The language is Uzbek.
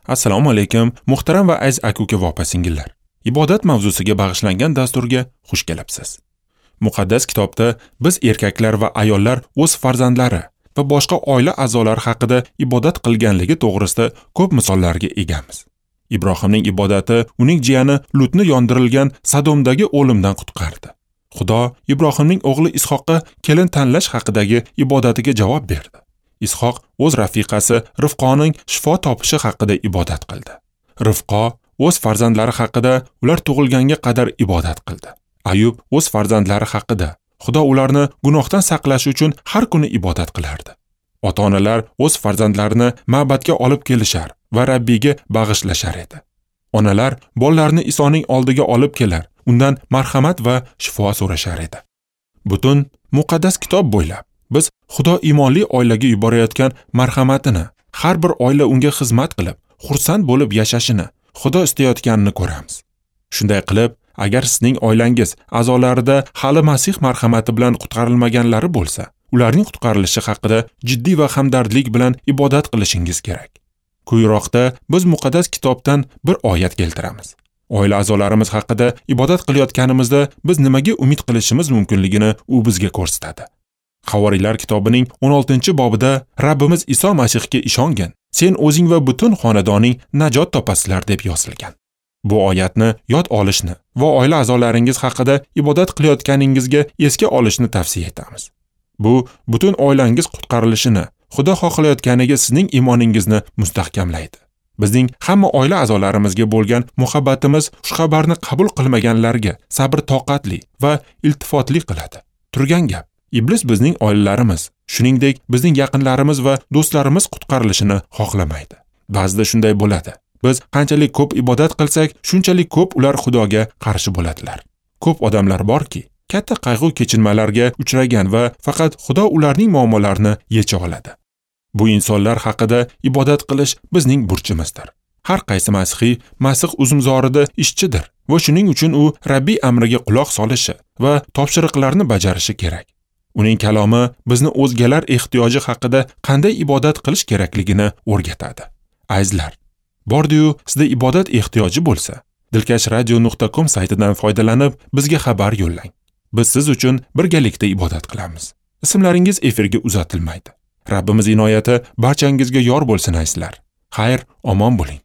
Assalomu alaykum, muhtaram va aziz aka-uka va opa-singillar. Ibodat mavzusiga bag'ishlangan dasturga xush kelibsiz. Muqaddas kitobda biz erkaklar va ayollar o'z farzandlari va boshqa oila a'zolari haqida ibodat qilganligi to'g'risida ko'p misollarga egamiz. Ibrohimning ibodati uning jiyani Lutni yondirilgan Sadomdagi o'limdan qutqardi. Xudo Ibrohimning o'g'li Ishoqqa kelin tanlash haqidagi ibodatiga javob berdi. Ishoq o'z rafiqasi Rifqoning shifo topishi haqida ibodat qildi. Rifqo o'z farzandlari haqida ular tug'ilganga qadar ibodat qildi. Ayub o'z farzandlari haqida Xudo ularni gunohdan saqlash uchun har kuni ibodat qilardi. Ota-onalar o'z farzandlarini ma'badga olib kelishar va Rabbiyga bag'ishlashar edi. Onalar bolalarini Isoning oldiga olib kelar, undan marhamat va shifo so'rashar edi. Butun muqaddas kitob bo'ylab biz Xudo iymonli oilaga yuborayotgan marhamatini, har bir oila unga xizmat qilib, xursand bo'lib yashashini Xudo istayotganini ko'ramiz. Shunday qilib, agar sizning oilangiz a'zolarida hali Masih marhamati bilan qutqarilmaganlari bo'lsa, ularning qutqarilishi haqida jiddiy va hamdardlik bilan ibodat qilishingiz kerak. Quyiroqda biz muqaddas kitobdan bir oyat keltiramiz. Oila a'zolarimiz haqida ibodat qilayotganimizda biz nimaga umid qilishimiz mumkinligini u bizga ko'rsatadi. Havoriylar kitobining 16-bobida Rabbimiz Iso Masihga ishongin, sen o'zing va butun xonadoning najot topasizlar deb yozilgan. Bu oyatni yod olishni va oila a'zolaringiz haqida ibodat qilayotganingizga esga olishni tavsiya etamiz. Bu butun oilangiz qutqarilishini, Xudo xohlayotganiga sizning iymoningizni mustahkamlaydi. Bizning hamma oila a'zolarimizga bo'lgan muhabbatimiz xushxabarni qabul qilmaganlarga sabr-toqatli va iltifotli qiladi. Turgan gap, iblis bizning oilalarimiz, shuningdek bizning yaqinlarimiz va do'stlarimiz qutqarilishini xohlamaydi. Ba'zida shunday bo'ladi. Biz qanchalik ko'p ibodat qilsak, shunchalik ko'p ular Xudoga qarshi bo'ladilar. Ko'p odamlar borki, katta qayg'u kechinmalarga uchragan va faqat Xudo ularning muammolarini yecha oladi. Bu insonlar haqida ibodat qilish bizning burchimizdir. Har qaysi masihiy Masih uzumzorida ishchidir va shuning uchun u Rabbiy amriga quloq solishi va topshiriqlarni bajarishi kerak. Uning kalomi bizni o'zgalar ehtiyoji haqida qanday ibodat qilish kerakligini o'rgatadi. Azizlar, bordi-yu sizda ibodat ehtiyoji bo'lsa, dilkashradio.com saytidan foydalanib bizga xabar yo'llang. Biz siz uchun birgalikda ibodat qilamiz. Ismlaringiz efirga uzatilmaydi. Rabbimiz inoyati barchangizga yor bo'lsin azizlar. Xayr, omon bo'ling.